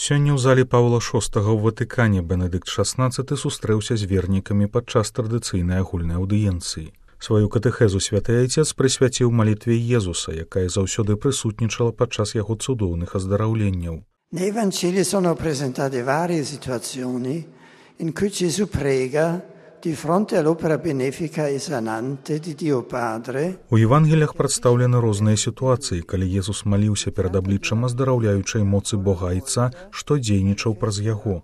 Сёння ў зале Паўла VI ў Ватыкане Бенедыкт XVI сустрэўся з вернікамі падчас традыцыйнай агульнай аўдыенцыі. Сваю катэхезу святы айцец прысвяціў малітве Езуса, якая заўсёды прысутнічала падчас яго цудоўных аздараўленняў. Nei Vangeli sono presentate varie situazioni in cui Gesù prega di fronte all'opera benefica e sanante di Dio Padre. У Евангеліях прадстаўлены розныя сітуацыі, калі Езус маліўся перад абліччам аздараўляючай моцы Бога Айца, што дзейнічаў праз яго.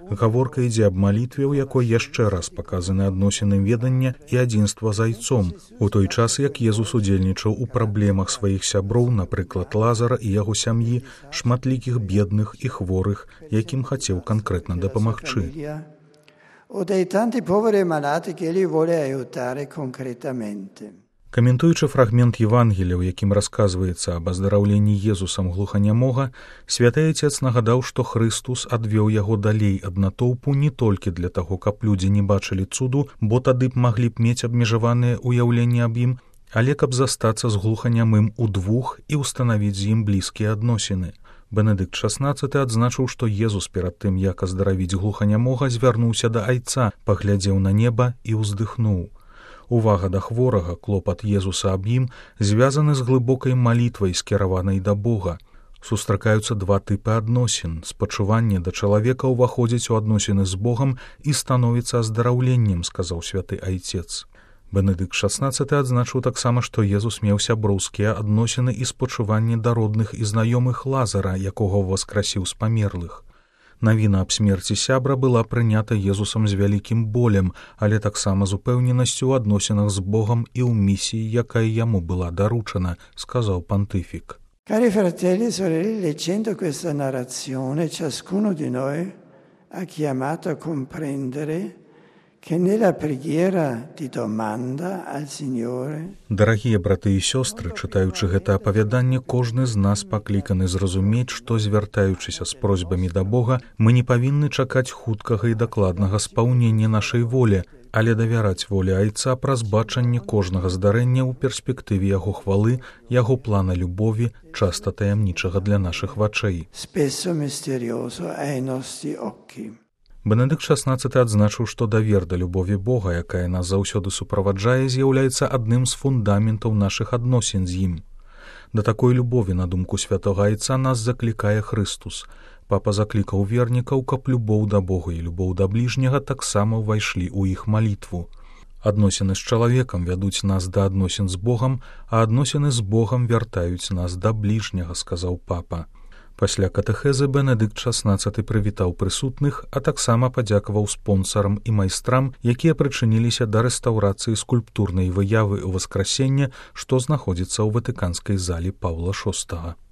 Гаворка ідзе аб малітве, у якой яшчэ раз паказаны адносіны ведання і адзінства з Айцом, у той час, як Езус удзельнічаў у праблемах сваіх сяброў, напрыклад, Лазара і яго сям'і, шматлікіх бедных і хворых, якім хацеў канкрэтна дапамагчы. O dei tanti poveri e malati che egli vuole aiutare concretamente. Каментуючы фрагмент Евангелія, у якім расказваецца аб аздараўленні Езусам глуханямога, святы айцец нагадаў, што Хрыстус адвёў яго далей ад натоўпу не толькі для таго, каб людзі не бачылі цуду, бо тады б маглі б мець абмежаваныя ўяўленні аб ім, але каб застацца з глуханямым удвух і ўстанавіць з ім блізкія адносіны. Бенедыкт XVI адзначыў, што Езус перад тым, як аздаравіць глуханямога, звярнуўся да Айца, паглядзеў на неба і ўздыхнуў. Увага да хворага, клопат Езуса аб ім звязаны з глыбокай малітвай, скіраванай да Бога. Сустракаюцца два тыпы адносін. Спачуванне да чалавека ўваходзіць у адносіны з Богам і становіцца аздараўленнем, сказаў святы айцец. Бенедыкт XVI адзначыў таксама, што Езус меў сяброўскія адносіны і спачуванне да родных і знаёмых Лазара, якога ўваскрасіў з памерлых. Навіна аб смерці сябра была прынята Езусам з вялікім болем, але таксама з упэўненасцю ў адносінах з Богам і ў місіі, якая яму была даручана, сказаў пантыфік. Cari fratelli e sorelle, leggendo questa narrazione, ciascuno di noi ha chiamato a comprendere che nella preghiera di domanda al Signore. Дарагія браты і сёстры, чытаючы гэта апавяданне, кожны з нас пакліканы зразумець, што, звяртаючыся з просьбамі да Бога, мы не павінны чакаць хуткага і дакладнага спаўнення нашай волі, але давяраць волі Айца праз бачанне кожнага здарэння ў перспектыве яго хвалы, яго плана любові, часта таямнічага для нашых вачэй. Spesso misterioso ai nostri occhi. Бенедыкт XVI адзначыў, што давер да любові Бога, якая нас заўсёды суправаджае, з'яўляецца адным з фундаментаў нашых адносін з ім. Да такой любові, на думку святога айца, нас заклікае Хрыстус. Папа заклікаў вернікаў, каб любоў да Бога і любоў да бліжняга таксама ўвайшлі ў іх малітву. Адносіны з чалавекам вядуць нас да адносін з Богам, а адносіны з Богам вяртаюць нас да бліжняга, сказаў папа. Пасля катэхезы Бенедыкт XVI прывітаў прысутных, а таксама падзякаваў спонсарам і майстрам, якія прычыніліся да рэстаўрацыі скульптурнай выявы ўваскрасення, што знаходзіцца ў ватыканскай зале Паўла VI.